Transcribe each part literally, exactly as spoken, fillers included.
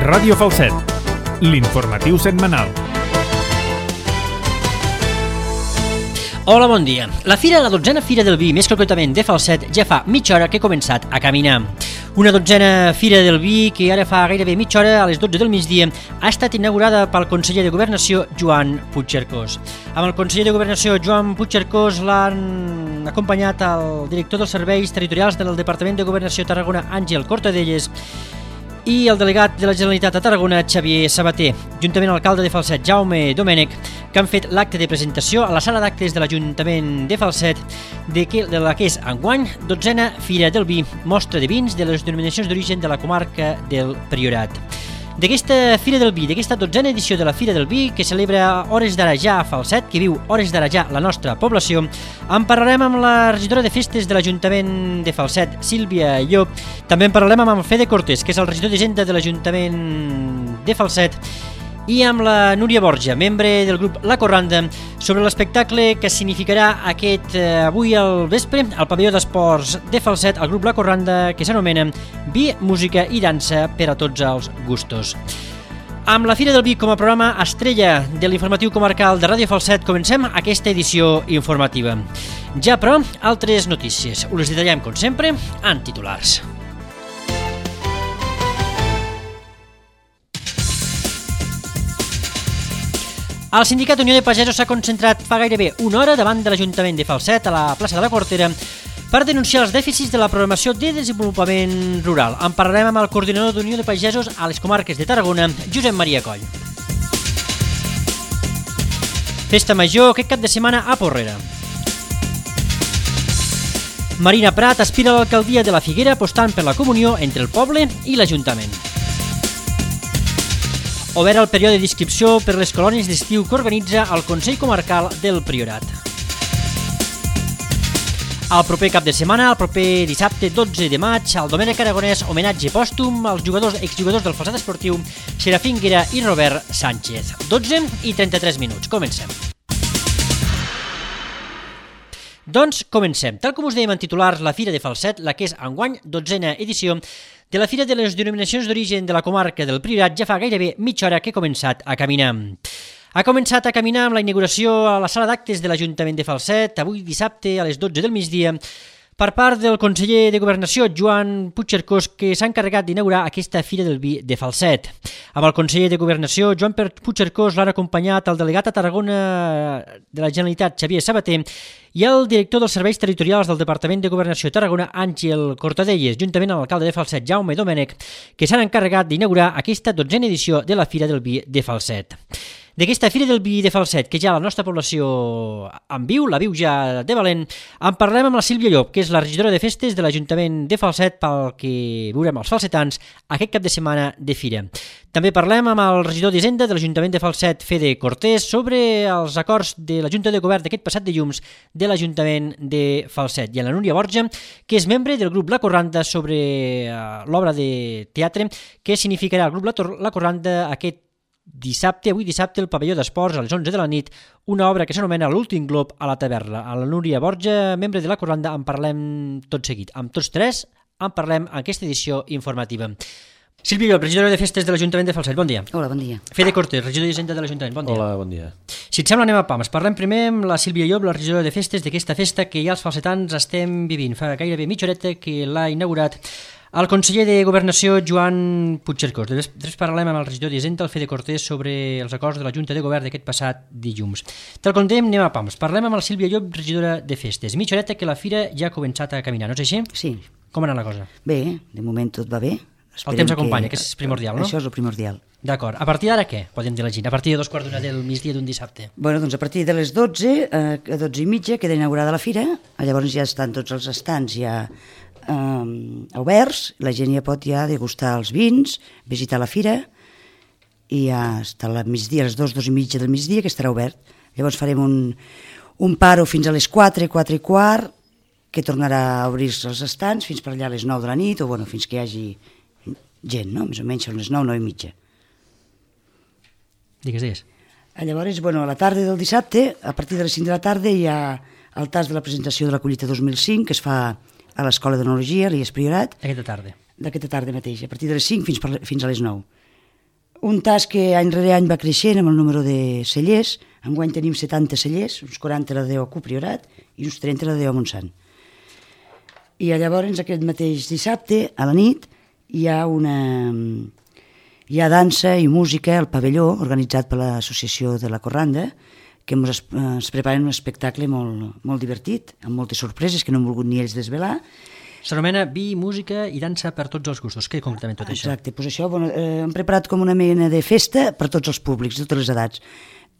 Ràdio Falset, l'informatiu setmanal. Hola, bon dia. La fira, la dotzena Fira del Vi, més concretament de Falset, ja fa mitja hora que he començat a caminar. Una dotzena Fira del Vi que ara fa gairebé mitja hora, a les dotze del migdia, ha estat inaugurada pel conseller de Governació, Joan Puigcercós. Amb el conseller de Governació, Joan Puigcercós, l'han acompanyat el director dels serveis territorials del Departament de Governació Tarragona, Àngel Cortadelles, i el delegat de la Generalitat a Tarragona, Xavier Sabater, juntament amb l'alcalde de Falset, Jaume Domènech, que han fet l'acte de presentació a la sala d'actes de l'Ajuntament de Falset de, que, de la que és enguany dotzena Fira del Vi, mostra de vins de les denominacions d'origen de la comarca del Priorat. D'aquesta Fira del Vi, d'aquesta dotzena edició de la Fira del Vi, que celebra hores d'ara ja a Falset, que viu hores d'ara ja la nostra població, en parlarem amb la regidora de festes de l'Ajuntament de Falset, Sílvia Llop. També en parlarem amb el Fede Cortés, que és el regidor d'Hisenda de l'Ajuntament de Falset, i amb la Núria Borja, membre del grup La Corranda, sobre l'espectacle que significarà aquest eh, avui al vespre al pavelló d'esports de Falset, el grup La Corranda, que s'anomena Vi, Música i Dansa per a tots els gustos. Amb la Fira del Vi com a programa estrella de l'informatiu comarcal de Ràdio Falset, comencem aquesta edició informativa. Ja, però, altres notícies. Us les detallem, com sempre, en titulars. El sindicat Unió de Pagesos s'ha concentrat fa gairebé una hora davant de l'Ajuntament de Falset, a la plaça de la Cortera, per denunciar els dèficits de la programació de desenvolupament rural. En parlarem amb el coordinador d'Unió de Pagesos a les comarques de Tarragona, Josep Maria Coll. Festa Major aquest cap de setmana a Porrera. Marina Prat aspira a l'alcaldia de la Figuera apostant per la comunió entre el poble i l'Ajuntament. Obert el període d'inscripció per les colònies d'estiu que organitza el Consell Comarcal del Priorat. El proper cap de setmana, el proper dissabte dotze de maig, el Domènec Aragonès homenatge pòstum als jugadors exjugadors del Falset Esportiu, Serafín Guera i Robert Sánchez. dotze i trenta-tres minuts. Comencem. Doncs comencem. Tal com us dèiem en titulars, la Fira de Falset, la que és enguany dotzena edició de la Fira de les Denominacions d'Origen de la comarca del Priorat, ja fa gairebé mitja hora que he començat a caminar. Ha començat a caminar amb la inauguració a la sala d'actes de l'Ajuntament de Falset, avui dissabte a les dotze del migdia, per part del conseller de Governació, Joan Puigcercós, que s'ha encarregat d'inaugurar aquesta Fira del Vi de Falset. Amb el conseller de Governació, Joan Puigcercós, l'han acompanyat el delegat a Tarragona de la Generalitat, Xavier Sabater, i el director dels serveis territorials del Departament de Governació Tarragona, Àngel Cortadelles, juntament amb l'alcalde de Falset, Jaume Domènech, que s'han encarregat d'inaugurar aquesta dotzena edició de la Fira del Vi de Falset. D'aquesta Fira del Vi de Falset, que ja la nostra població en viu, la viu ja de valent, en parlem amb la Sílvia Llop, que és la regidora de festes de l'Ajuntament de Falset, pel que veurem els falsetans aquest cap de setmana de fira. També parlem amb el regidor d'Hisenda de l'Ajuntament de Falset, Fede Cortés, sobre els acords de la Junta de Govern d'aquest passat dilluns de l'Ajuntament de Falset, i amb la Núria Borja, que és membre del grup La Corranda, sobre l'obra de teatre que significarà el grup La Corranda aquest dissabte, avui dissabte, el pavelló d'esports a les onze de la nit, una obra que s'anomena L'últim glob a la taverna. A la Núria Borja, membre de La Corranda, en parlem tot seguit. Amb tots tres en parlem en aquesta edició informativa. Sílvia Llop, regidora de festes de l'Ajuntament de Falset, bon dia. Hola, bon dia. Fede Cortés, regidor d'Hisenda de l'Ajuntament, bon dia. Hola, bon dia. Si et sembla, anem a pams. Parlem primer amb la Sílvia Llop, la regidora de festes d'aquesta festa que ja els falsetans estem vivint. Fa gairebé mitja horeta que l'ha inaugurat el conseller de Governació, Joan Puigcercós. Després parlem amb el regidor d'Hisenda, el Fede Cortés, sobre els acords de la Junta de Govern d'aquest passat dilluns. Tal com dèiem, anem a pams. Parlem amb la Sílvia Llop, regidora de festes. Mitja horeta que la fira ja ha començat a caminar, no és així? Sí. Com ha anat la cosa? Bé, de moment tot va bé. El temps acompanya, que és primordial, no? Això és el primordial. D'acord. A partir d'ara què podem dir la gent? A partir de dos quarts d'una del migdia d'un dissabte? Bueno, doncs a partir de les dotze, a dotze i mitja, queda inaugurada la fira. Llavors ja estan tots els estants ja eh, oberts. La gent ja pot ja degustar els vins, visitar la fira, i ja està al migdia, a les dos, dos i mitja del migdia, que estarà obert. Llavors farem un, un paro fins a les quatre, quatre i quart, que tornarà a obrir-se els estants fins per allà a les nou de la nit, o bueno, fins que hi hagi gent, no? Més o menys a les nou, nou i mitja. Digues, digues. Llavors, bueno, a la tarda del dissabte, a partir de les cinc de la tarda, hi ha el tas de la presentació de la collita dos mil cinc, que es fa a l'Escola d'Enologia, a l'I E S Priorat. Aquesta tarda. D'aquesta tarda mateix, a partir de les cinc fins, per, fins a les nou. un tas que any rere any va creixent amb el número de cellers. Enguany tenim setanta cellers, uns quaranta a la D O Q Priorat i uns trenta a la D O Montsant. I llavors aquest mateix dissabte, a la nit, hi ha una... hi ha dansa i música al pavelló, organitzat per l'associació de la Corranda, que ens, ens preparen un espectacle molt, molt divertit, amb moltes sorpreses que no han volgut ni ells desvelar. S'anomena Vi, música i dansa per tots els gustos. Què concretament tot això? Exacte, doncs això bueno, eh, hem preparat com una mena de festa per tots els públics, de totes les edats.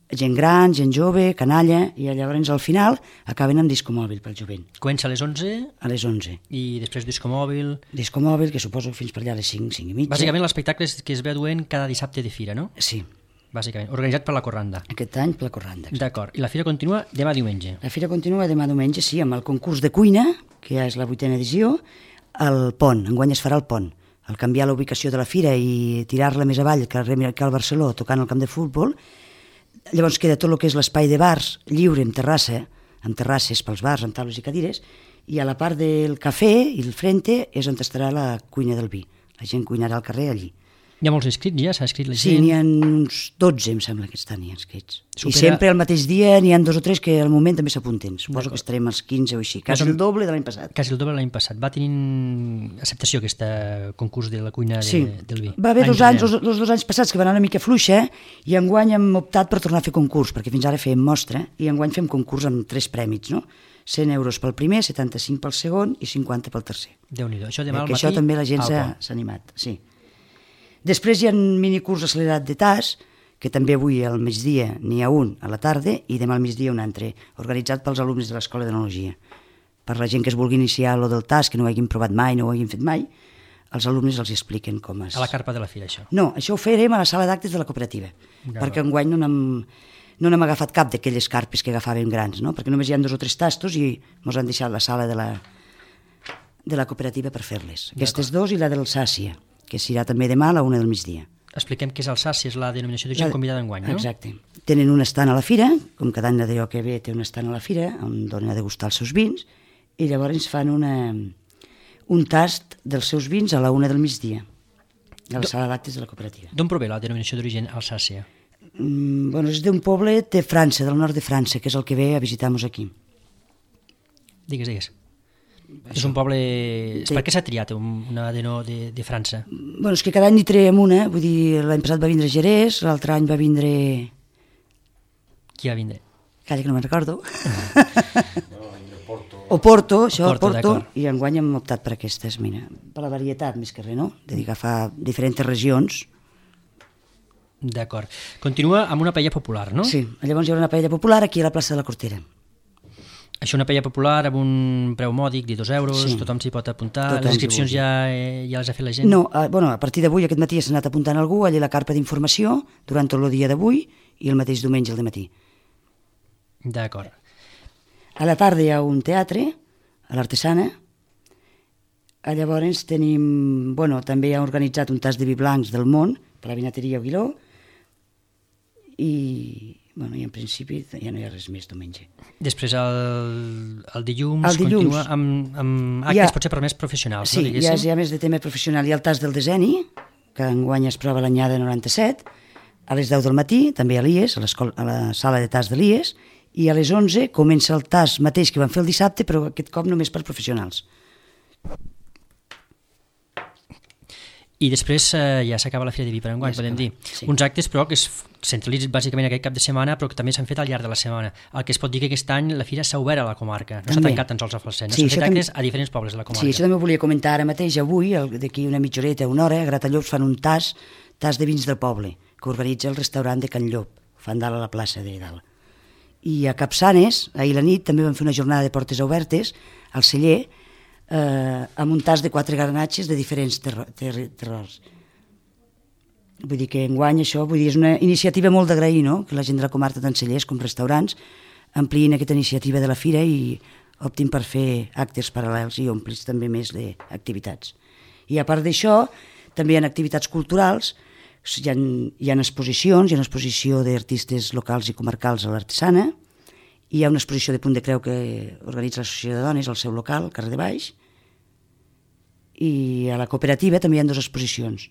Gent gran, gent jove, canalla, i llavors al final acaben amb disco mòbil pel jovent. Comença a les onze? A les onze. I després disco mòbil? Disco mòbil, que suposo fins per allà a les cinc, cinc i mitja. Bàsicament l'espectacle que es ve duent cada dissabte de fira, no? Sí. Bàsicament, organitzat per la Corranda. Aquest any per la Corranda. D'acord, i la fira continua demà diumenge? La fira continua demà diumenge, sí, amb el concurs de cuina, que ja és la vuitena edició, al Pont, enguany es farà al Pont. Al canviar la ubicació de la fira i tirar-la més avall que al Barceló, tocant al camp de futbol, llavors queda tot el que és l'espai de bars lliure amb terrassa, amb terrasses pels bars, amb taules i cadires, i a la part del cafè i el frente és on estarà la cuina del vi. La gent cuinarà al carrer allí. Hi ha molts inscrits ja? S'ha inscrit la gent? Sí, n'hi ha uns dotze, em sembla que estan ja inscrits. Supera... I sempre al mateix dia n'hi ha dos o tres que al moment també s'apunten. Suposo que estarem als quinze o així. Quasi el doble de l'any passat. Quasi el doble de l'any passat. Va tenint acceptació aquest concurs de la cuina de, sí. del vi? Va haver dos anys, els dos, dos anys passats que van anar una mica fluixa i enguany hem optat per tornar a fer concurs, perquè fins ara fèiem mostra i enguany fem concurs amb tres prèmits, no? cent euros pel primer, setanta-cinc pel segon i cinquanta pel tercer. Déu-n'hi-do. Això demà al matí. Això també la gent s'ha animat, sí. Després hi ha un minicurs accelerat de T A S, que també avui al migdia n'hi ha un a la tarda i demà al migdia un altre, organitzat pels alumnes de l'Escola d'Enologia. Per la gent que es vulgui iniciar lo del T A S, que no ho hagin provat mai, no ho hagin fet mai, els alumnes els expliquen com és. A la carpa de la fira, això? No, això ho farem a la sala d'actes de la cooperativa, ja, perquè enguany no n'hem no n'hem agafat cap d'aquelles carpes que agafàvem grans, no? Perquè només hi ha dos o tres tastos i ens han deixat la sala de la, de la cooperativa per fer-les. Aquestes dos i la del Sàcia, que serà també demà a la una del migdia. Expliquem què és el Sàcia, és la denominació d'origen convidada enguany, no? Exacte. Tenen un estant a la fira, com cada any la D O que ve té un estant a la fira, on donen a degustar els seus vins, i llavors fan una, un tast dels seus vins a la una del migdia, a la sala d'actes de la cooperativa. D'on prové la denominació d'origen Alsàcia? Mm, bueno, és d'un poble de França, del nord de França, que és el que ve a visitar-nos aquí. Digues, digues. És un poble... De... Per què s'ha triat una de, no, de, de França? Bueno, és que cada any n'hi traiem una, vull dir, l'any passat va vindre Jerez, l'altre any va vindre... Qui va vindre? Calla, que no me'n recordo. O Porto, això, Porto, Porto i enguany hem optat per aquestes, mira, per la varietat més que res, no? De dir, agafar diferents regions. D'acord. Continua amb una paella popular, no? Sí, llavors hi haurà una paella popular aquí a la plaça de la Cortera. Això una paella popular amb un preu mòdic de dos euros, sí. Tothom s'hi pot apuntar, tothom les inscripcions ja, eh, ja les ha fet la gent? No, a, bueno, a partir d'avui, aquest matí s'ha anat apuntant algú, allà la carpa d'informació, durant tot el dia d'avui i el mateix diumenge al matí. D'acord. A la tarda hi ha un teatre, a l'Artesana, llavors tenim, bueno, també ha organitzat un tas de vi blancs del món, per la vinateria Aguiló, i... Bueno, i en principi ja no hi ha res més diumenge. Després el, el dilluns, el dilluns continua amb, amb actes ha, potser per més professionals, sí, no? Sí, ja, ja més de tema professional. Hi ha el tas del deseni, que enguany es prova l'anyada noranta-set, a les deu del matí, també a l'I E S, a, a la sala de tas de l'I E S, i a les onze comença el tas mateix que van fer el dissabte, però aquest cop només per professionals. I després eh, ja s'acaba la Fira de Vi per enguany, ja podem dir. Sí. Uns actes, però, que es centralitzen bàsicament aquest cap de setmana, però que també s'han fet al llarg de la setmana. El que es pot dir que aquest any la Fira s'ha obert a la comarca, no s'ha tancat tan sols a Falset, no? Sí, s'han fet actes tam... a diferents pobles de la comarca. Sí, això també ho volia comentar ara mateix, avui, d'aquí una mitja horeta, una hora, a Gratallops fan un tas, tas de vins del poble, que organitza el restaurant de Can Llop, fan dalt a la plaça de dalt. I a Capçanes, ahir la nit, també van fer una jornada de portes obertes, al celler, Eh, amb un tas de quatre garnatges de diferents terro- ter- terrors. Vull dir que enguany això vull dir, és una iniciativa molt d'agrair, no? Que la gent de la comarca, tant cellers com restaurants, ampliïn aquesta iniciativa de la fira i optin per fer actes paral·lels i omplis també més d'activitats. I a part d'això, també hi ha activitats culturals, hi ha, hi ha exposicions, hi ha una exposició d'artistes locals i comarcals a l'Artesana, hi ha una exposició de Punt de Creu que organitza l'Associació de Dones al seu local, al carrer de Baix, i a la cooperativa també hi ha dues exposicions.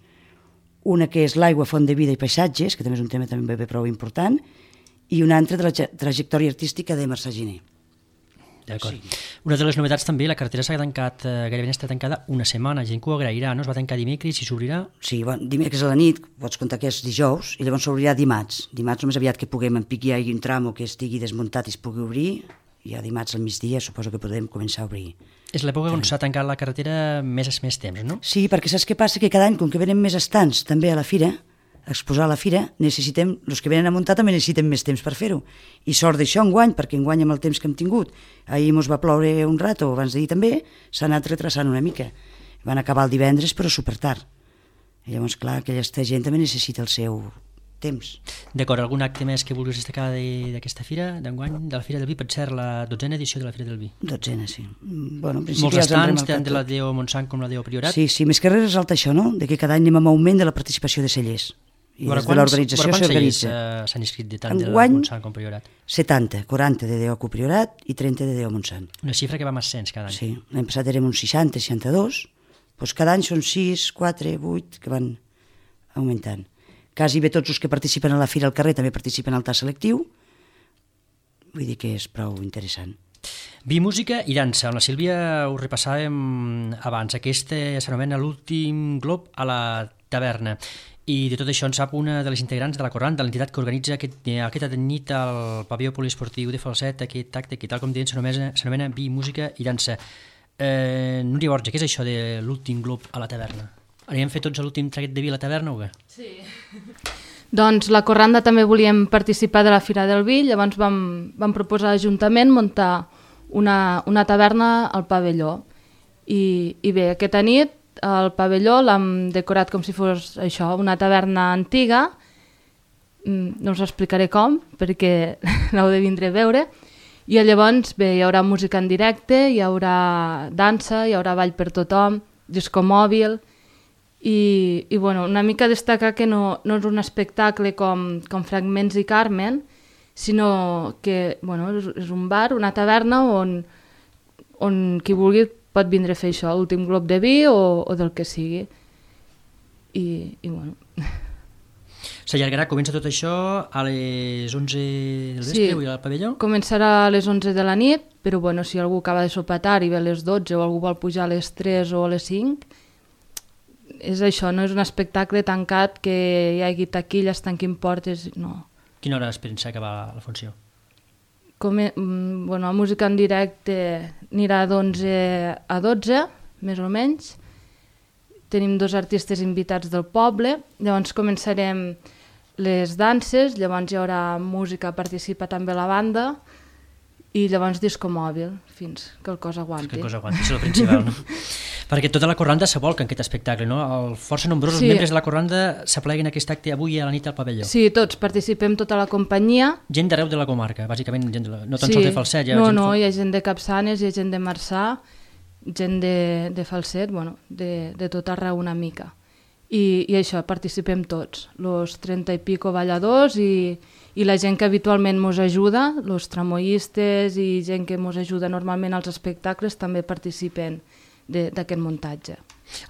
una que és l'aigua, font de vida i paisatges, que també és un tema també ben prou important, i una altra de la trajectòria artística de Mercè Giner. D'acord. Sí. Una de les novetats també, la carretera s'ha tancat, eh, gairebé està tancada una setmana, gent que ho agrairà, no? Es va tancar dimecres i s'obrirà? Sí, bon, dimecres a la nit, pots comptar que és dijous, i llavors s'obrirà dimarts. Dimarts només aviat que puguem en pic hi hagi un tram o que estigui desmuntat i es pugui obrir, i ja dimarts al migdia suposo que podem començar a obrir. És l'època on s'ha tancat la carretera més més temps, no? Sí, perquè saps què passa? Que cada any, com que venen més estants també a la fira, a exposar a la fira, necessitem, els que venen a muntar també necessiten més temps per fer-ho. I sort d'això enguany, perquè enguany amb el temps que hem tingut, ahir mos va ploure un rato, abans d'ahir també, s'ha anat retrasant una mica. Van acabar el divendres, però super tard. I llavors, clar, aquesta gent també necessita el seu temps. D'acord, algun acte més que vulguis destacar d'aquesta fira, d'enguany, de la Fira del Vi? Pot ser la dotzena edició de la Fira del Vi. Dotzena, sí. Bueno, en principi molts ja estants, tant de la D O Montsant com la D O Priorat. Sí, sí, més que res resalta això, no?, de que cada any anem amb augment de la participació de cellers. I des de l'organització s'organitza. Uh, s'han inscrit de tant de la Montsant com Priorat? setanta, quaranta de D O Priorat i trenta de D O Montsant. Una xifra que va amb ascens cada any. Sí, l'any passat érem uns seixanta, seixanta-dos, doncs cada any són sis, quatre, vuit, que van augmentant. Quasi bé tots els que participen a la fira al carrer també participen al tas selectiu, vull dir que és prou interessant. Vi, música i dansa. Amb la Sílvia ho repassàvem abans. Aquest s'anomena l'últim glob a la taverna. I de tot això en sap una de les integrants de la Corranda, l'entitat que organitza aquest, aquesta nit al pavelló poliesportiu de Falset, aquest acte que, tal com deien, s'anomena Vi, música i dansa. Eh, Núria Borja, què és això de l'últim glob a la taverna? Havíem fet tots l'últim traguet de vi a la taverna o què? Sí. Doncs la Corranda també volíem participar de la Fira del Vi, llavors vam, vam proposar a l'Ajuntament muntar una, una taverna al pavelló. I, i bé, aquesta nit el pavelló l'hem decorat com si fos això, una taverna antiga, no us explicaré com, perquè l'heu de vindre a veure, i llavors bé, hi haurà música en directe, hi haurà dansa, hi haurà ball per tothom, disco mòbil, i, i bueno, una mica destacar que no, no és un espectacle com, com Fragments i Carmen, sinó que bueno, és, és un bar, una taverna on, on qui vulgui pot vindre a fer això, l'últim glob de vi o, o del que sigui. I, i bueno... S'allargarà, comença tot això a les onze del vespre, sí, al pavelló? Començarà a les onze de la nit, però bueno, si algú acaba de sopar tard i ve a les dotze o algú vol pujar a les tres o a les cinc, és això, no és un espectacle tancat que hi hagi taquilles, tanquin portes, no. Quina hora es pensa acabar la funció? Com, bueno, la música en directe anirà d'onze a dotze, més o menys. Tenim dos artistes invitats del poble, llavors començarem les danses, llavors hi haurà música, participa també la banda, i llavors disco mòbil, fins que el cos aguanti. Fins que el cos aguanti, és el principal, no? Perquè tota la Corranda s'abolca en aquest espectacle, no? El força nombrosos sí. membres de la Corranda s'apleguen aquest acte avui a la nit al pavelló. Sí, tots, participem tota la companyia. Gent d'arreu de la comarca, bàsicament, gent de la... no tan sí. sols de Falset. Hi ha no, gent... no, hi ha gent de Capçanes, hi ha gent de Marçà, gent de, de Falset, bueno, de, de tot arreu una mica. I, i això, participem tots, los trenta i pico balladors i, i la gent que habitualment mos ajuda, los tramoistes i gent que mos ajuda normalment als espectacles també participen d'aquest muntatge.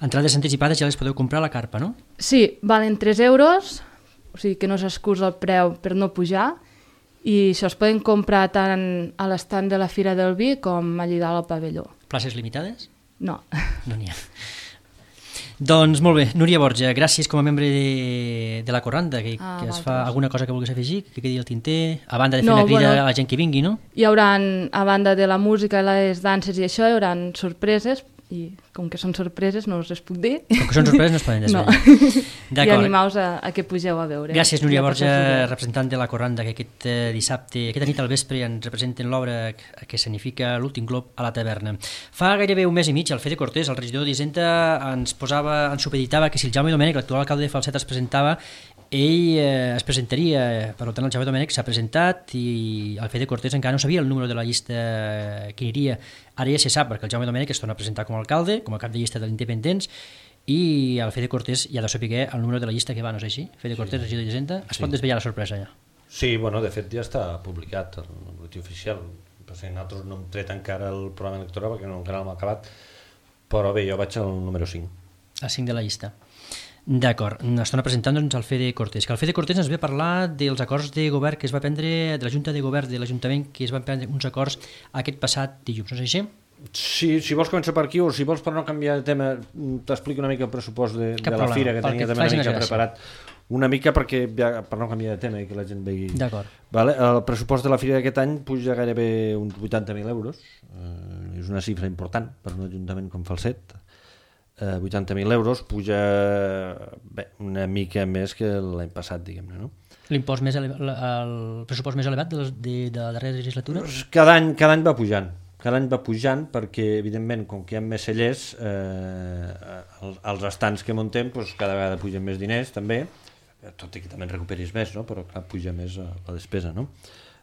Entrades anticipades ja les podeu comprar a la carpa, no? Sí, valen tres euros, o sigui que no s'excusa el preu per no pujar, i això es poden comprar tant a l'estand de la Fira del Vi com allà dalt al pavelló. Places limitades? No. No n'hi ha. Doncs molt bé, Núria Borja, gràcies com a membre de, de la Corranda, que, ah, que es fa alguna cosa que vulguis afegir, que quedi al tinter, a banda de fer no, una crida bueno, a la gent que vingui, no? Hi haurà, a banda de la música i les danses i això, hi haurà sorpreses, i com que són sorpreses no us les puc dir. Com que són sorpreses no es poden desvetllar. No. I animaus a, a que pugeu a veure. Gràcies, Núria Borja, representant de la Corranda, que aquest eh, dissabte, aquesta nit al vespre ens representen l'obra que significa l'últim glob a la taverna. Fa gairebé un mes i mig el Fede Cortés, el regidor d'Hisenda, ens posava, ens supeditava que si el Jaume Domènech, l'actual alcalde de Falset, es presentava, ell eh, es presentaria. Per tant, el Jaume Domènech s'ha presentat i el Fede Cortés encara no sabia el número de la llista que aniria. Ara ja se sap, perquè el Jaume Domènech es torna a presentar com a alcalde, com a cap de llista de l'Independents, i el Fede Cortés ja ha de saber el número de la llista que va, no és així? Fede Cortés, sí. Regidor d'Hisenda, es sí. pot desvetllar la sorpresa ja? Sí, bueno, de fet ja està publicat el boletí oficial. Nosaltres no hem tret encara el programa electoral perquè no, encara no l'hem acabat, però bé, jo vaig al número cinc. Al cinc de la llista. D'acord, estan presentant-nos el Fede Cortés, que el Fede Cortés ens ve a parlar dels acords de govern que es va prendre, de la Junta de Govern de l'Ajuntament, que es van prendre uns acords aquest passat dilluns, no és així? Sí, si vols començar per aquí o si vols per no canviar de tema t'explico una mica el pressupost de, de la fira que tenia també una mica preparat una mica perquè ja, per no canviar de tema i que la gent vegi. D'acord. Vale? El pressupost de la fira d'aquest any puja gairebé uns vuitanta mil euros, eh, és una xifra important per un ajuntament com Falset. Eh, vuitanta mil euros puja bé, una mica més que l'any passat, diguem-ne, no? L'impost més elevat, el pressupost més elevat de, de, de la darrera legislatura? Cada any, cada any va pujant. Cada any va pujant perquè, evidentment, com que hi ha més cellers, eh, els, els estants que muntem doncs, cada vegada pugen més diners, també, tot i que també en recuperis més, no? Però clar, puja més la despesa, no?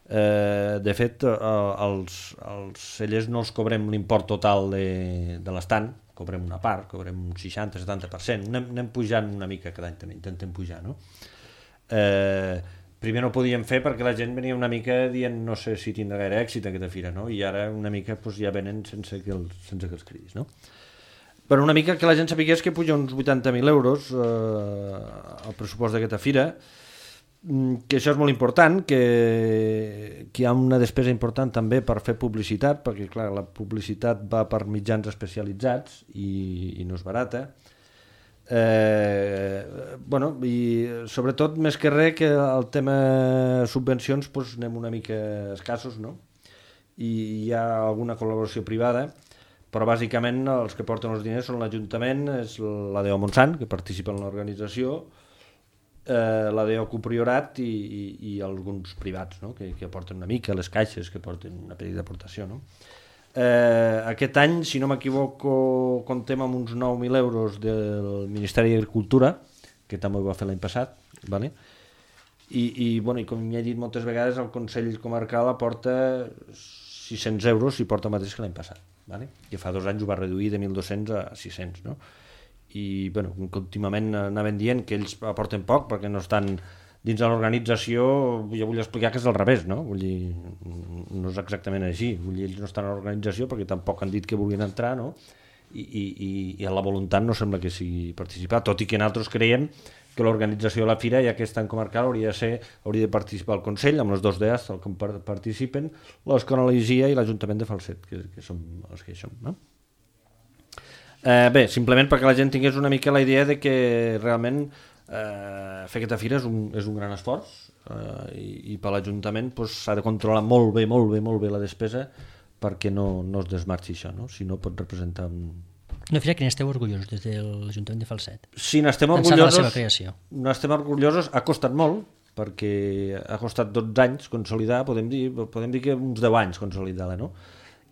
Eh, de fet, eh, els, els cellers no els cobrem l'import total de, de l'estant, cobrem una part, cobrem un seixanta a setanta per cent, anem, anem pujant una mica cada any també, intentem pujar, no? Eh, primer no ho podíem fer perquè la gent venia una mica dient no sé si tindrà gaire èxit aquesta fira, no? I ara una mica doncs, ja venen sense que, els, sense que els cridis, no? Però una mica que la gent sapigués que puja uns vuitanta mil euros eh, el pressupost d'aquesta fira, que això és molt important, que, que hi ha una despesa important també per fer publicitat, perquè clar, la publicitat va per mitjans especialitzats i, i no és barata. Eh, bueno, i sobretot més que res que el tema subvencions doncs anem una mica escassos, no? I hi ha alguna col·laboració privada, però bàsicament els que porten els diners són l'Ajuntament, és l'A D O Montsant, que participa en l'organització, eh, l'A D O Copriorat i, i, i alguns privats, no? que, que aporten una mica, les caixes que porten una petita aportació, no? Eh, aquest any, si no m'equivoco, comptem amb uns nou mil euros del Ministeri d'Agricultura, que també ho va fer l'any passat, vale? I, i, bueno, i com ja he dit moltes vegades, el Consell Comarcal aporta sis-cents euros i porta el mateix que l'any passat, vale? Que fa dos anys ho va reduir de mil dos-cents a sis-cents, no? I bueno, últimament anaven dient que ells aporten poc perquè no estan dins de l'organització. Jo vull explicar que és al revés, no? Vull dir, no és exactament així. Vull dir, ells no estan a l'organització perquè tampoc han dit que vulguin entrar, no? I, i, i a la voluntat no sembla que sigui participar, tot i que nosaltres creiem que l'organització de la fira, ja que és tan comarcal, hauria de, ser, hauria de participar el Consell, amb les dos D As que participen, l'Escola i l'Ajuntament de Falset, que, que som els que hi som, no? Eh, bé, simplement perquè la gent tingués una mica la idea de que realment eh, fer aquesta fira és un, és un gran esforç eh, i, i per l'Ajuntament pues, s'ha de controlar molt bé, molt bé, molt bé la despesa perquè no, no es desmarxi això, no? Si no pot representar un... Una fira que n'esteu orgullosos des de l'Ajuntament de Falset. Sí, n'estem orgullosos, n'estem orgullosos, ha costat molt perquè ha costat dotze anys consolidar, podem dir, podem dir que uns deu anys consolidar-la, no?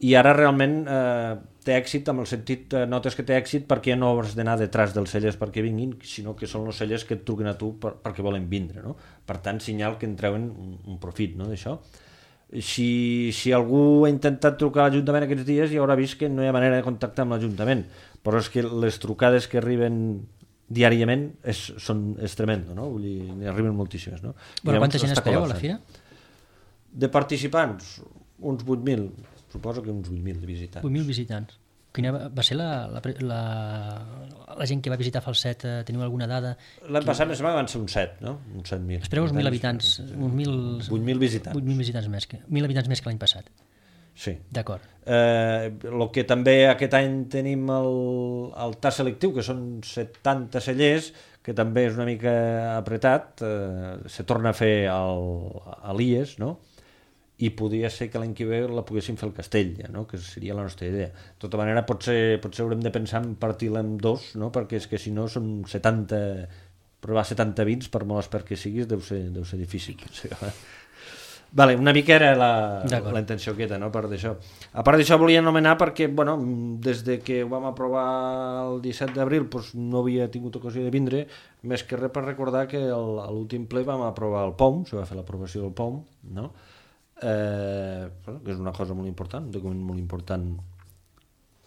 I ara realment eh, té èxit, amb el sentit, eh, notes que té èxit perquè no has d'anar detrás dels cellers perquè vinguin, sinó que són els cellers que et truquen a tu per, perquè volen vindre, no? Per tant, senyal que en treuen un, un profit, no, d'això. Si, si algú ha intentat trucar a l'Ajuntament aquests dies ja haurà vist que no hi ha manera de contactar amb l'Ajuntament, però és que les trucades que arriben diàriament és, són, és tremendo, no? Vull dir, n'hi arriben moltíssimes, no? Bueno, quanta gent espereu a la fira? De participants, uns vuit mil. Suposo que uns vuit mil de visitants. vuit mil visitants. Quina va ser la, la, la, la gent que va visitar Falset? Teniu alguna dada? L'any passat més van ser uns set, no? Uns set mil. Espereu uns mil habitants. Uns mil... vuit mil visitants. vuit mil visitants més que, mil habitants més que l'any passat. Sí. D'acord. Eh, el que també aquest any tenim el, el tas selectiu, que són setanta cellers, que també és una mica apretat. Eh, se torna a fer el, a l'I E S, no? I podria ser que l'any que ve la poguéssim fer al Castell, ja, no? Que seria la nostra idea. De tota manera, potser, potser haurem de pensar en partir-la en dos, no? Perquè és que si no són setanta, provar setanta vins, per molt expert que siguis, deu ser, deu ser difícil. Vale, una mica era la, la intenció aquesta, no? Per d'això. A part d'això volia anomenar perquè, bueno, des de que ho vam aprovar el disset d'abril doncs no havia tingut ocasió de vindre, més que res per recordar que el, a l'últim ple vam aprovar el P O M, se va fer l'aprovació del P O M, no? Eh, que és una cosa molt important, un document molt important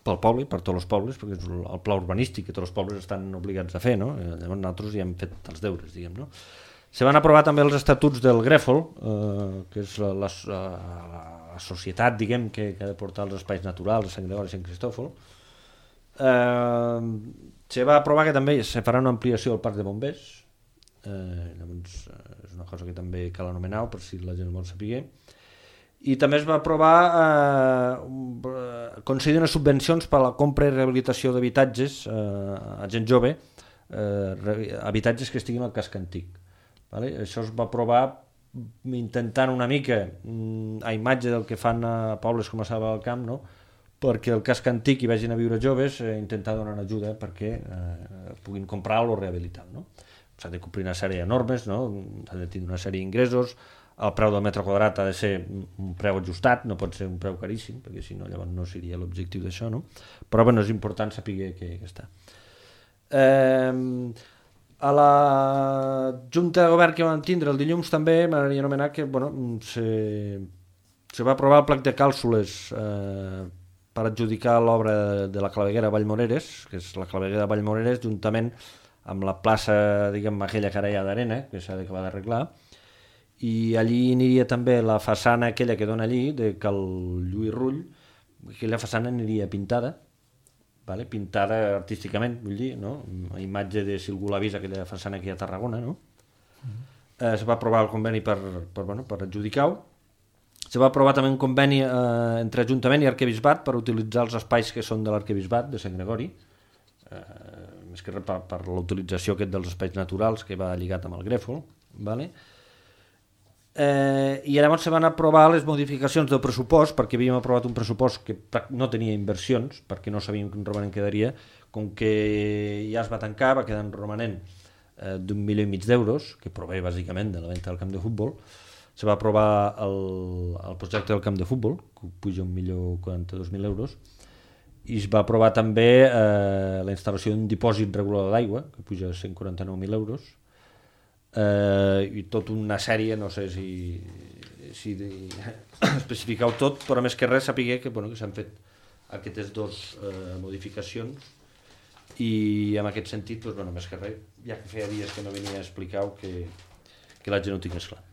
pel poble, per tots els pobles, perquè és el pla urbanístic que tots els pobles estan obligats a fer, no? Llavors nosaltres ja hem fet els deures, diguem, no? Se van aprovar també els estatuts del Grèfol, eh, que és la, la, la societat, diguem, que, que ha de portar els espais naturals a Sant Gregori i Sant Cristòfol. Eh, Se va aprovar que també se farà una ampliació al parc de bombers, eh, llavors eh, és una cosa que també cal anomenar per si la gent vol saber. I també es va aprovar eh, concedir unes subvencions per a la compra i rehabilitació d'habitatges eh, a gent jove, eh, habitatges que estiguin al casc antic. Vale? Això es va aprovar intentant una mica a imatge del que fan a pobles com a Selva del Camp, no? Perquè el casc antic hi vagin a viure joves, eh, intentar donar ajuda perquè eh, puguin comprar-lo o rehabilitar. No? S'ha de complir una sèrie de normes, no? S'ha de tenir una sèrie d'ingressos, el preu del metre quadrat ha de ser un preu ajustat, no pot ser un preu caríssim, perquè si no llavors no seria l'objectiu d'això, no? Però bueno, és important saber que, que està. Eh, a la Junta de Govern que vam tindre el dilluns també m'agradaria anomenar que bueno, se, se va aprovar el plec de càlcules eh, per adjudicar l'obra de la claveguera Vallmoreres, que és la claveguera de Vallmoreres, juntament amb la plaça, diguem, aquella que ara hi ha d'arena, que s'ha d'acabar d'arreglar, i allí aniria també la façana aquella que dona allí, de Cal Lluís Rull, aquella façana aniria pintada, vale? Pintada artísticament, vull dir, no? A imatge de si algú l'ha vist, aquella façana que hi ha a Tarragona, no? Mm. Eh, se va aprovar el conveni per, per, bueno, per adjudicar-ho. Se va aprovar també un conveni eh, entre Ajuntament i Arquebisbat per utilitzar els espais que són de l'Arquebisbat de Sant Gregori, eh, més que res per, per la utilització aquest dels espais naturals que va lligat amb el Grèfol, vale? Eh, i llavors se van aprovar les modificacions del pressupost, perquè havíem aprovat un pressupost que no tenia inversions, perquè no sabíem quin romanent quedaria, com que ja es va tancar, va quedar en romanent eh, d'un milió i mig d'euros, que prové bàsicament de la venda del camp de futbol. Se va aprovar el, el projecte del camp de futbol, que puja un milió quaranta-dos mil euros, i es va aprovar també eh, la instal·lació d'un dipòsit regulador d'aigua, que puja cent quaranta-nou mil euros, Uh, i tota una sèrie, no sé si, si especificar-ho tot, però més que res sapiguer que, bueno, que s'han fet aquestes dues uh, modificacions i en aquest sentit, doncs, bueno, més que res, ja que feia dies que no venia a explicar-ho, que, que la gent ho tingués clar.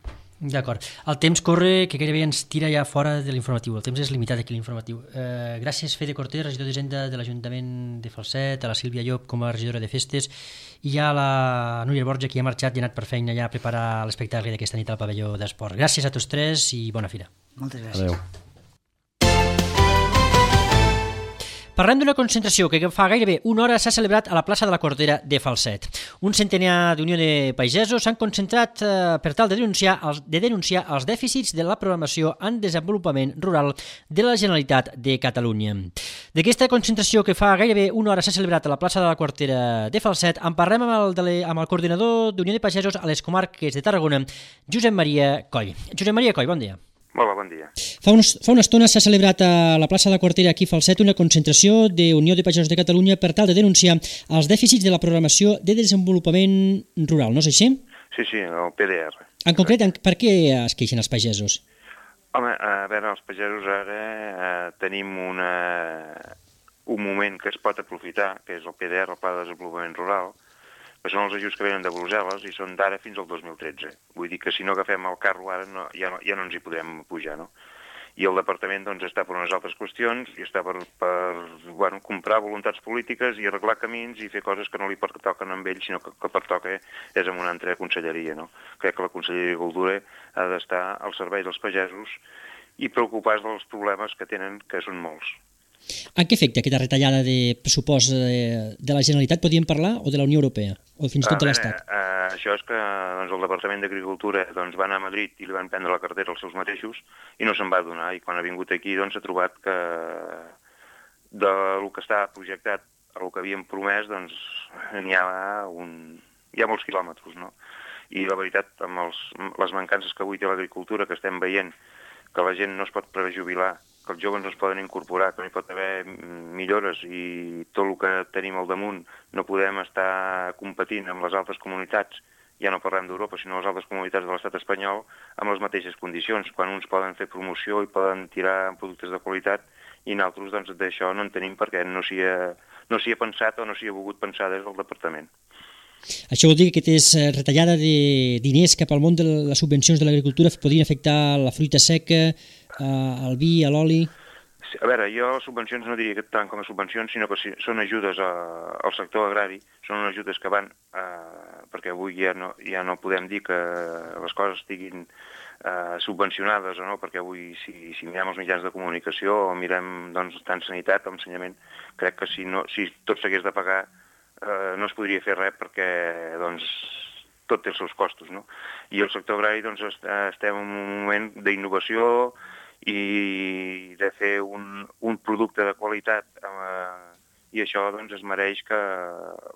D'acord. El temps corre, que gairebé ens tira ja fora de l'informatiu. El temps és limitat aquí, l'informatiu. Eh, gràcies, Fede Cortés, regidor d'Hisenda de l'Ajuntament de Falset, a la Sílvia Llop com a regidora de Festes, i a la Núria Borja, que ha marxat i ha anat per feina ja a preparar l'espectacle d'aquesta nit al pavelló d'esport. Gràcies a tots tres i bona fira. Moltes gràcies. Adéu. Parlem d'una concentració que fa gairebé una hora s'ha celebrat a la plaça de la Cordera de Falset. Un centenar d'Unió de Pagesos s'han concentrat eh, per tal de denunciar, els, de denunciar els dèficits de la programació en desenvolupament rural de la Generalitat de Catalunya. D'aquesta concentració que fa gairebé una hora s'ha celebrat a la plaça de la Cordera de Falset, en parlem amb el, de le, amb el coordinador d'Unió de Pagesos a les comarques de Tarragona, Josep Maria Coll. Josep Maria Coll, bon dia. Hola, bon dia. Fa, uns, fa una estona s'ha celebrat a la plaça de la Quartera aquí a Falset una concentració de Unió de Pagesos de Catalunya per tal de denunciar els dèficits de la programació de desenvolupament rural, no és així? Sí, sí, el P D R. En concret, per què es queixen els pagesos? Home, a veure, els pagesos ara eh, tenim una, un moment que es pot aprofitar, que és el P D R, el Pla de Desenvolupament Rural, que són els ajuts que venen de Brussel·les i són d'ara fins al dos mil tretze. Vull dir que si no agafem el carro ara no, ja, no, ja no ens hi podrem pujar, no? I el departament doncs, està per unes altres qüestions i està per, per bueno, comprar voluntats polítiques i arreglar camins i fer coses que no li pertoquen amb ell, sinó que, que pertoca és en una altra conselleria, no? Crec que la Conselleria d'Agricultura ha d'estar al servei dels pagesos i preocupar-se dels problemes que tenen, que són molts. En què afecta aquesta retallada de pressupost de la Generalitat, podríem parlar, o de la Unió Europea, o fins i tot de l'Estat? Eh, eh, això és que doncs, el Departament d'Agricultura doncs, va anar a Madrid i li van prendre la cartera als seus mateixos i no se'n va donar, i quan ha vingut aquí doncs, ha trobat que del que està projectat el que havíem promès doncs, n'hi ha, un... hi ha molts quilòmetres, no? I la veritat, amb els, les mancances que avui té l'agricultura, que estem veient que la gent no es pot prejubilar, que els joves no es poden incorporar, que no hi pot haver millores i tot el que tenim al damunt no podem estar competint amb les altres comunitats, ja no parlem d'Europa, sinó les altres comunitats de l'estat espanyol, amb les mateixes condicions, quan uns poden fer promoció i poden tirar productes de qualitat i nosaltres doncs, d'això no en tenim perquè no s'hi ha, no s'hi ha pensat o no s'hi ha volgut pensar des del departament. Això vol dir que aquesta retallada de diners cap al món de les subvencions de l'agricultura podrien afectar la fruita seca, el vi, l'oli? A veure, jo les subvencions no diria que tant com a subvencions, sinó que són ajudes a, al sector agrari, són ajudes que van, eh, perquè avui ja no, ja no podem dir que les coses estiguin eh, subvencionades o no, perquè avui si, si mirem els mitjans de comunicació o mirem doncs, tant sanitat com ensenyament, crec que si, no, si tot s'hagués de pagar eh, no es podria fer res perquè doncs, tot té els seus costos, no? I el sector agrari doncs, estem en un moment d'innovació i de fer un, un producte de qualitat eh, i això doncs, es mereix que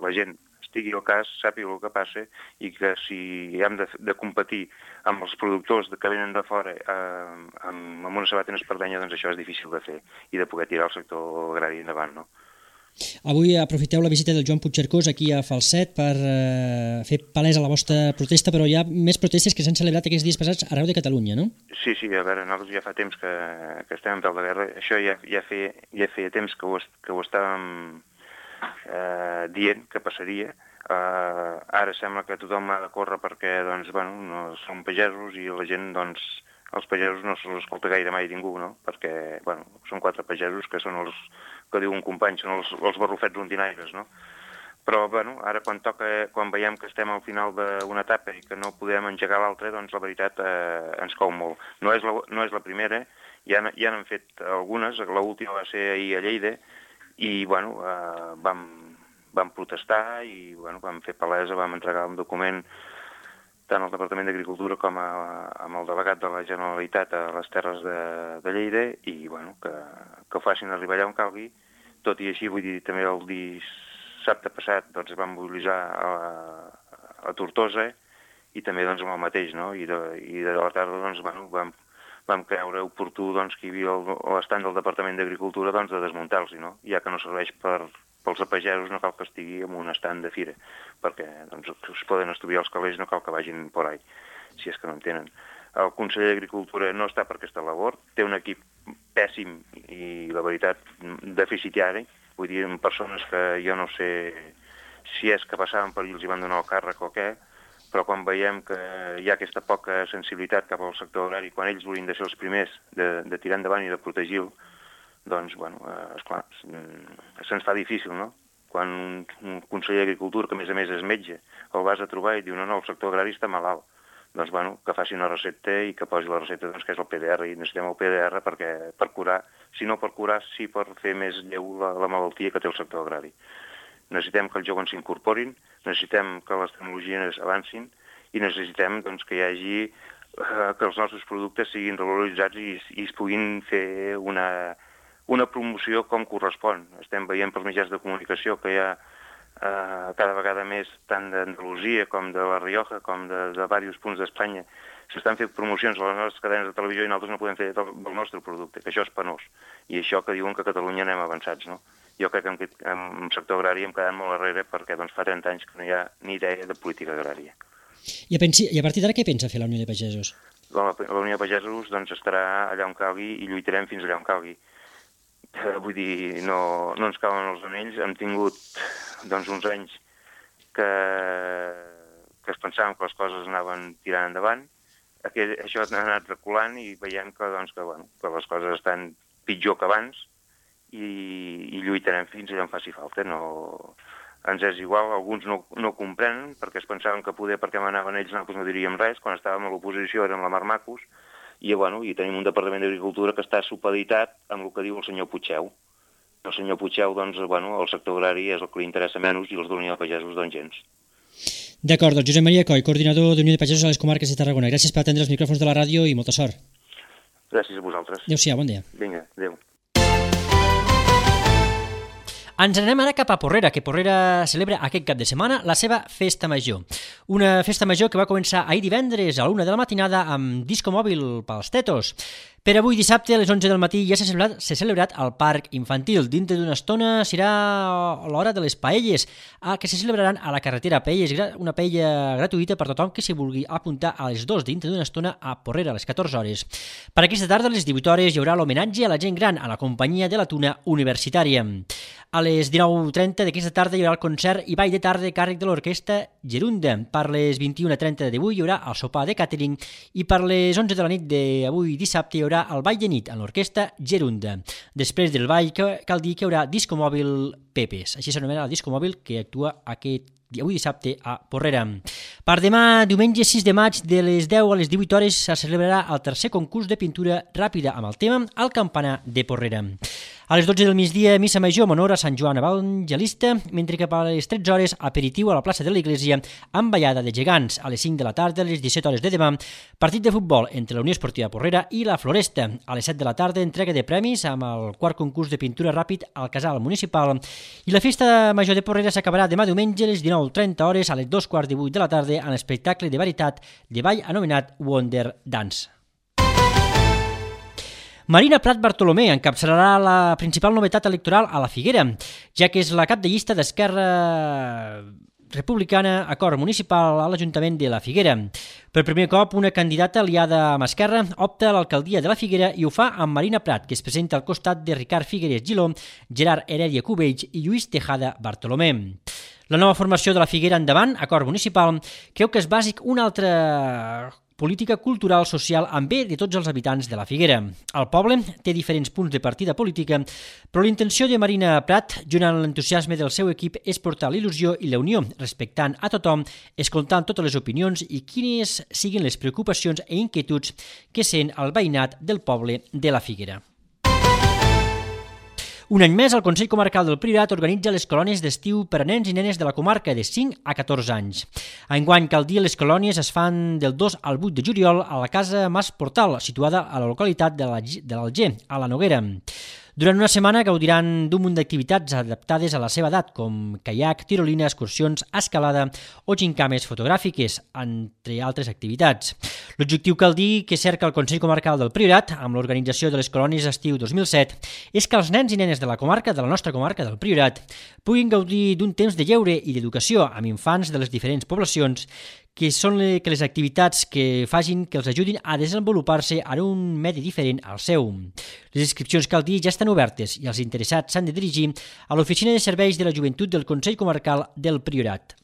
la gent estigui al cas, sàpiga el que passa i que si hem de, de competir amb els productors que venen de fora eh, amb, amb una sabata en espardenya, doncs això és difícil de fer i de poder tirar el sector agrari endavant, no? Avui aprofiteu la visita del Joan Puigcercós aquí a Falset per eh, fer palesa la vostra protesta, però hi ha més protestes que s'han celebrat aquests dies passats arreu de Catalunya, no? Sí, sí, a veure, nosaltres ja fa temps que, que estem en peu de guerra. Això ja, ja, feia, ja feia temps que ho, que ho estàvem eh, dient que passaria. Eh, ara sembla que tothom ha de córrer perquè doncs, bueno, no són pagesos i la gent, doncs, els pagesos no se'ls escolta gaire mai ningú, no? Perquè bueno, són quatre pagesos que són els que diu un company, són els, els barrufets rondinaires, no? Però, bueno, ara quan toca, quan veiem que estem al final d'una etapa i que no podem engegar l'altra, doncs la veritat eh, ens cou molt. No és la, no és la primera, ja, ja n'han fet algunes, l'última va ser ahir a Lleida, i, bueno, eh, vam, vam protestar i, bueno, vam fer palesa, vam entregar un document tant al Departament d'Agricultura com a, amb el delegat de la Generalitat a les Terres de, de Lleida i bueno, que, que ho facin arribar allà on calgui. Tot i així, vull dir, també el dissabte passat doncs, vam mobilitzar a, a Tortosa i també doncs, amb el mateix, no? I de, i de la tarda doncs, bueno, vam, vam creure oportú doncs, que hi havia l'estant del Departament d'Agricultura doncs, de desmuntar-los, no? Ja que no serveix per... pels pagesos no cal que estigui en un estand de fira, perquè doncs, es poden estudiar els calés, no cal que vagin por ahí, si és que no en tenen. El conseller d'Agricultura no està per aquesta labor, té un equip pèssim i, la veritat, deficitari, vull dir, amb persones que jo no sé si és que passaven per i els hi van donar el càrrec o què, però quan veiem que hi ha aquesta poca sensibilitat cap al sector agrari, quan ells volien de ser els primers de, de tirar endavant i de protegir-lo, doncs, bueno, eh, esclar, se'ns fa difícil, no? Quan un, un conseller d'Agricultura, que a més a més és metge, el vas a trobar i diu, no, no, el sector agrari està malalt. Doncs, bueno, que faci una recepta i que posi la recepta, doncs, que és el P D R, i necessitem el P D R perquè, per curar, si no per curar, sí per fer més lleu la, la malaltia que té el sector agrari. Necessitem que els joves s'incorporin, necessitem que les tecnologies avancin i necessitem, doncs, que hi hagi, eh, que els nostres productes siguin revaloritzats i, i es puguin fer una... una promoció com correspon. Estem veient pels mitjans de comunicació que hi ha eh, cada vegada més tant d'Andalusia com de La Rioja com de, de diversos punts d'Espanya. S'estan fent promocions a les nostres cadenes de televisió i nosaltres no podem fer del, del nostre producte, que això és penós. I això que diuen que a Catalunya anem avançats, no? Jo crec que en, en sector agrari hem quedat molt darrere perquè doncs, fa trenta anys que no hi ha ni idea de política agrària. I a, pensi, i a partir d'ara què pensa fer la Unió de Pagesos? La, la Unió de Pagesos doncs, estarà allà on calgui i lluitarem fins allà on calgui. Vull dir, no, no ens cauen els anells. Hem tingut doncs, uns anys que, que es pensàvem que les coses anaven tirant endavant. Aquest, això ha anat reculant i veiem que, doncs, que, bueno, que les coses estan pitjor que abans i, i lluitarem fins allà on faci falta. No, ens és igual, alguns no, no comprenen perquè es pensaven que poder perquè manaven ells nosaltres no diríem res. Quan estàvem a l'oposició érem la Marmacos. I, bueno, i tenim un Departament d'Agricultura que està supeditat amb el que diu el senyor Puigceu. El senyor Puigceu, doncs, bueno, el sector agrari és el que li interessa menys i els d'Unió de Pagesos, doncs, gens. D'acord, doncs Josep Maria Coll, coordinador d'Unió de Pagesos a les comarques de Tarragona. Gràcies per atendre els micròfons de la ràdio i molta sort. Gràcies a vosaltres. Adéu-siau, bon dia. Vinga, adéu. Ens anem ara cap a Porrera, que Porrera celebra aquest cap de setmana la seva Festa Major. Una festa major que va començar ahir divendres a l'una de la matinada amb disco mòbil pels tetos. Per avui dissabte a les onze del matí ja s'ha celebrat, s'ha celebrat al Parc Infantil. Dintre d'una estona serà l'hora de les paelles, que se celebraran a la carretera. Paelles, una paella gratuïta per tothom que s'hi vulgui apuntar a les dues dintre d'una estona a Porrera, a les catorze hores. Per aquesta tarda, a les divuit hores, hi haurà l'homenatge a la gent gran a la companyia de la Tuna Universitària. A les dinou trenta d'aquesta tarda hi haurà el concert i ball de tarda a càrrec de l'orquestra Gerunda. Per les vint i una trenta d'avui hi haurà el sopar de càtering i per les onze de la nit d'avui dissabte hi haurà haurà el ball de nit en l'orquestra Gerunda. Després del ball cal dir que hi haurà discomòbil Pepes, així s'anomena el discomòbil que actua aquest avui dissabte a Porrera. Per demà, diumenge sis de maig, de les deu a les divuit hores, se celebrarà el tercer concurs de pintura ràpida amb el tema El campanar de Porrera. A les dotze del migdia, missa major en honor a Sant Joan Evangelista, mentre que a les tretze hores, aperitiu a la plaça de l'Església amb ballada de gegants. A les cinc de la tarda, a les disset hores de demà, partit de futbol entre la Unió Esportiva Porrera i la Floresta. A les set de la tarda, entrega de premis amb el quart concurs de pintura ràpid al casal municipal. I la festa major de Porrera s'acabarà demà diumenge a les dinou trenta hores, a les dos quarts de vuit de la tarda, en l'espectacle de varietat de ball anomenat Wonder Dance. Marina Prat Bartolomé encapçalarà la principal novetat electoral a la Figuera, ja que és la cap de llista d'Esquerra Republicana Acord Municipal a l'Ajuntament de la Figuera. Per primer cop, una candidata aliada amb Esquerra opta a l'alcaldia de la Figuera i ho fa amb Marina Prat, que es presenta al costat de Ricard Figueres Giló, Gerard Heredia Cubells i Lluís Tejada Bartolomé. La nova formació de la Figuera Endavant, Acord Municipal, creu que és bàsic una altra política cultural social amb bé de tots els habitants de la Figuera. El poble té diferents punts de partida política, però l'intenció de Marina Prat, junt amb l'entusiasme del seu equip, és portar l'il·lusió i la unió, respectant a tothom, escoltant totes les opinions i quines siguin les preocupacions i inquietuds que sent el veïnat del poble de la Figuera. Un any més, el Consell Comarcal del Priorat organitza les colònies d'estiu per a nens i nenes de la comarca de cinc a catorze anys. Enguany, cal dir, les colònies es fan del dos al vuit de juliol a la Casa Mas Portal, situada a la localitat de l'Alger, a la Noguera. Durant una setmana gaudiran d'un munt d'activitats adaptades a la seva edat, com caiac, tirolina, excursions, escalada o gincames fotogràfiques, entre altres activitats. L'objectiu, cal dir, que cerca el Consell Comarcal del Priorat, amb l'organització de les colònies d'estiu dos mil set, és que els nens i nenes de la comarca, de la nostra comarca del Priorat, puguin gaudir d'un temps de lleure i d'educació amb infants de les diferents poblacions, que són que les activitats que facin que els ajudin a desenvolupar-se en un medi diferent al seu. Les inscripcions, cal dir, ja estan obertes i els interessats s'han de dirigir a l'Oficina de Serveis de la Joventut del Consell Comarcal del Priorat.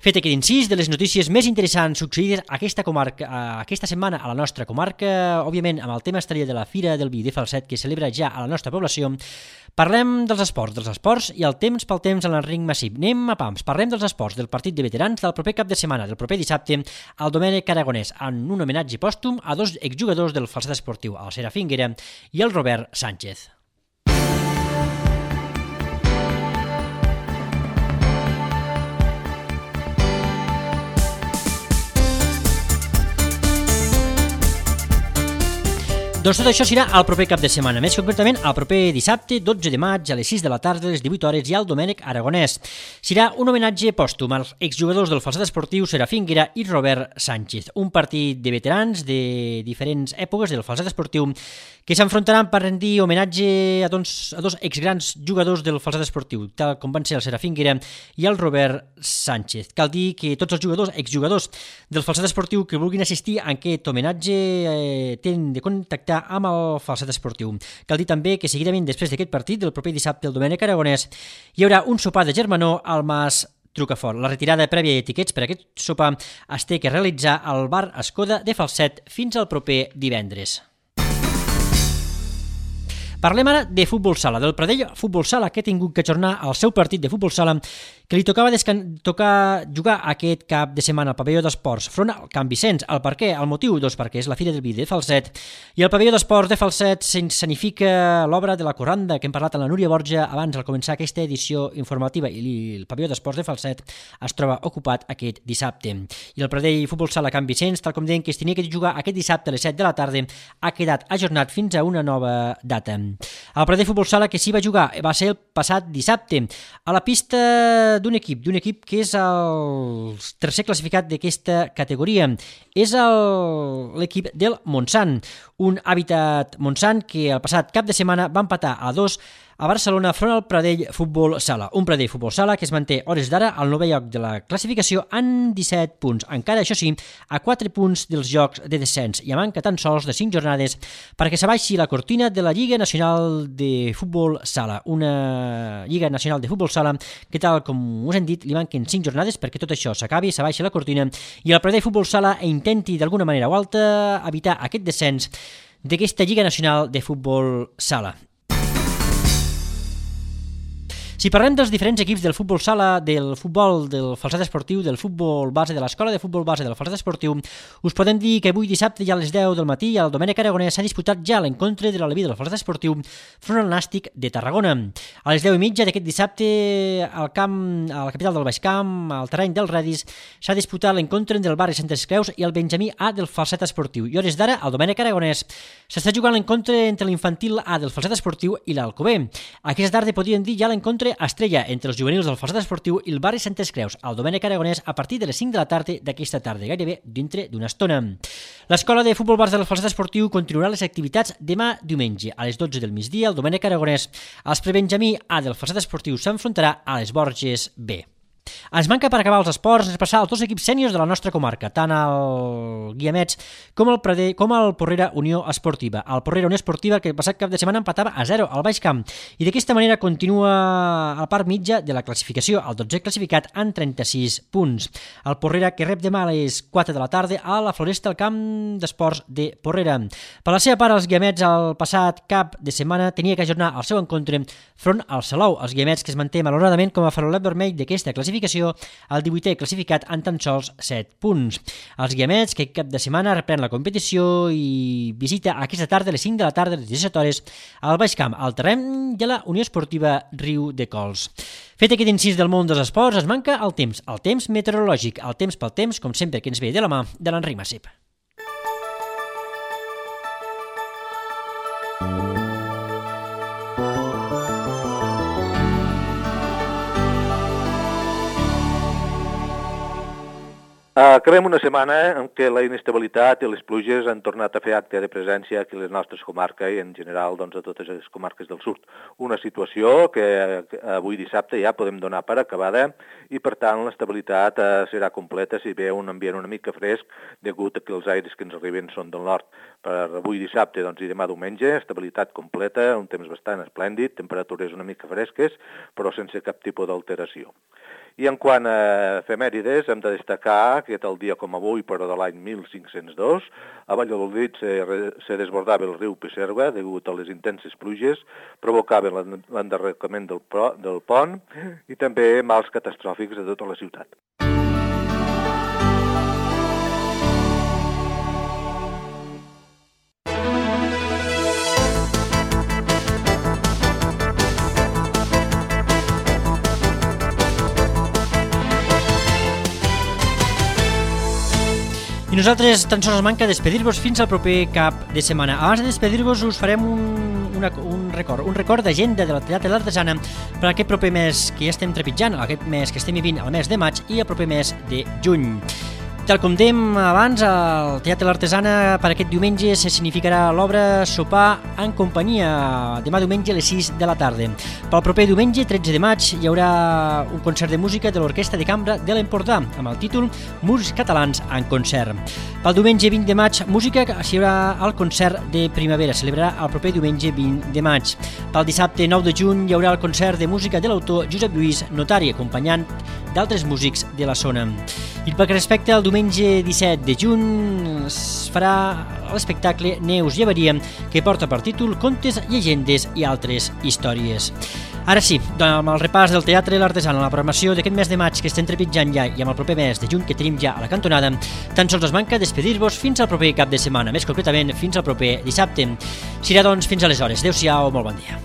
Fet aquest incís de les notícies més interessants succeïdes aquesta, comarca, aquesta setmana a la nostra comarca, òbviament amb el tema estrella de la Fira del Vi de Falset que celebra ja a la nostra població, parlem dels esports, dels esports i el temps pel temps en l'Enric Massip. Anem a pams, parlem dels esports del partit de veterans del proper cap de setmana, del proper dissabte, al Domènec Aragonès, en un homenatge pòstum a dos exjugadors del Falset Esportiu, el Serafín Guera i el Robert Sánchez. Doncs tot això serà el proper cap de setmana, més concretament el proper dissabte, dotze de maig, a les sis de la tarda, a les divuit hores, i al Domènec Aragonès. Serà un homenatge pòstum als exjugadors del Falset Esportiu Serafín Guera i Robert Sánchez, un partit de veterans de diferents èpoques del Falset Esportiu que s'enfrontaran per rendir homenatge a dos, a dos exgrans jugadors del Falset Esportiu, tal com van ser el Serafín Guera i el Robert Sánchez. Cal dir que tots els jugadors, exjugadors del Falset Esportiu que vulguin assistir a aquest homenatge eh, tenen de contactar amb el Falset Esportiu. Cal dir també que seguidament després d'aquest partit, del proper dissabte al Domènec Aragonès, hi haurà un sopar de germanor al Mas Trucafort. La retirada prèvia i etiquets per a aquest sopar es té que realitzar al bar Escoda de Falset fins al proper divendres. Parlem ara de futbol sala, del Pradell Futbol Sala, que ha tingut que ajornar el seu partit de futbol sala que li tocava descan... tocar jugar aquest cap de setmana al pavelló d'esports front al Can Vicenç. El per què? El motiu, doncs, perquè és la Fira del Vi de Falset i el pavelló d'esports de Falset s'escenifica l'obra de la Corranda que hem parlat amb la Núria Borja abans al començar aquesta edició informativa, i el pavelló d'esports de Falset es troba ocupat aquest dissabte. I el Pradell Futbol Sala Can Vicenç, tal com deien que es tenia que jugar aquest dissabte a les set de la tarda, ha quedat ajornat fins a una nova data. El Pradell Futbol Sala que s'hi va jugar va ser el passat dissabte a la pista d'un equip, d'un equip que és el tercer classificat d'aquesta categoria. És el, l'equip del Montsant, un Hàbitat Montsant que el passat cap de setmana va empatar a dos a Barcelona front al Pradell Futbol Sala. Un Pradell Futbol Sala que es manté hores d'ara al novè lloc de la classificació en disset punts. Encara, això sí, a quatre punts dels jocs de descens i a manca tan sols de cinc jornades perquè s'abaixi la cortina de la Lliga Nacional de Futbol Sala. Una Lliga Nacional de Futbol Sala que, tal com us hem dit, li manquen cinc jornades perquè tot això s'acabi, s'abaixi la cortina i el Pradell Futbol Sala intenti d'alguna manera o altra evitar aquest descens d'aquesta Lliga Nacional de Futbol Sala. Si parlem dels diferents equips del futbol sala, del futbol, del falset esportiu, del futbol base, de l'escola de futbol base, del falset esportiu, us podem dir que avui dissabte ja a les deu del matí al Domènec Aragonès s'ha disputat ja l'encontre de l'Aleví del falset esportiu front al Nàstic de Tarragona. A les deu i mitja d'aquest dissabte al camp, a la capital del Baix Camp, al terreny del Radis, s'ha disputat l'encontre entre el barri Santes Creus i el Benjamí A del falset esportiu. I hores d'ara, al Domènec Aragonès, s'està jugant l'encontre entre l'infantil A del falset esportiu i l'Alcover. Aquesta tarda podríem dir ja l'encontre estrella entre els juvenils del falset esportiu i el barri Santes Creus al Domènec Aragonès a partir de les cinc de la tarda d'aquesta tarda, gairebé dintre d'una estona. L'escola de futbol base del falset esportiu continuarà les activitats demà diumenge a les dotze del migdia al Domènec Aragonès. El prebenjamí A del falset esportiu s'enfrontarà a les Borges B. Ens manca per acabar els esports passar als dos equips sèniors de la nostra comarca, tant el Guiamets com el Pradell, com el Porrera Unió Esportiva. El Porrera Unió Esportiva, que el passat cap de setmana empatava a zero al Baix Camp, i d'aquesta manera continua a la part mitja de la classificació, el dotzè classificat amb trenta-sis punts. El Porrera, que rep demà a les quatre de la tarda a la Floresta al camp d'esports de Porrera. Per la seva part, els Guiamets el passat cap de setmana tenia que ajornar el seu encontre front al Salou. Els Guiamets, que es manté malauradament com a farolet vermell d'aquesta classificació, el divuitè classificat en tan sols set punts. Els Guiamets, que cap de setmana reprèn la competició i visita aquesta tarda a les cinc de la tarda, a les disset hores, al Baix Camp, al terreny de la Unió Esportiva Riu de Cols. Fet aquest incís del món dels esports, es manca el temps, el temps meteorològic, el temps pel temps, com sempre, que ens ve de la mà de l'Enric Massip. Acabem una setmana en què la inestabilitat i les pluges han tornat a fer acte de presència aquí a les nostres comarques i en general doncs, a totes les comarques del sud. Una situació que avui dissabte ja podem donar per acabada i per tant l'estabilitat eh, serà completa si ve un ambient una mica fresc degut a que els aires que ens arriben són del nord. Per avui dissabte doncs, i demà diumenge, estabilitat completa, un temps bastant esplèndid, temperatures una mica fresques però sense cap tipus d'alteració. I en quant a efemèrides, hem de destacar que tal dia com avui, però de l'any mil cinc-cents dos, a Valladolid se, se desbordava el riu Pisserva degut a les intenses pluges, provocaven l'enderrocament del, del pont i també mals catastròfics a tota la ciutat. I nosaltres tan sols manca despedir-vos fins al proper cap de setmana. Abans de despedir-vos us farem un, una, un record, un record d'agenda de la Teatre L'Artesana per aquest proper mes que ja estem trepitjant, aquest mes que estem vivint, el mes de maig i el proper mes de juny. Tal com dèiem abans, al Teatre L'Artesana per aquest diumenge se significarà l'obra Sopar en companyia, demà diumenge a les sis de la tarda. Pel proper diumenge, tretze de maig, hi haurà un concert de música de l'Orquestra de Cambra de l'Empordà, amb el títol Músics Catalans en concert. Pel diumenge vint de maig, música s'hi haurà el concert de primavera, celebrarà el proper diumenge vint de maig. Pel dissabte nou de juny hi haurà el concert de música de l'autor Josep Lluís Notari, acompanyant d'altres músics de la zona. I pel que respecta al diumenge disset de juny es farà l'espectacle Neus Llevaria, que porta per títol Contes, llegendes i altres històries. Ara sí, amb el repàs del Teatre L'Artesana, la programació d'aquest mes de maig que estem trepitjant ja i amb el proper mes de juny que tenim ja a la cantonada, tan sols es manca despedir-vos fins al proper cap de setmana, més concretament fins al proper dissabte. Serà doncs fins aleshores. Adéu-siau, molt bon dia.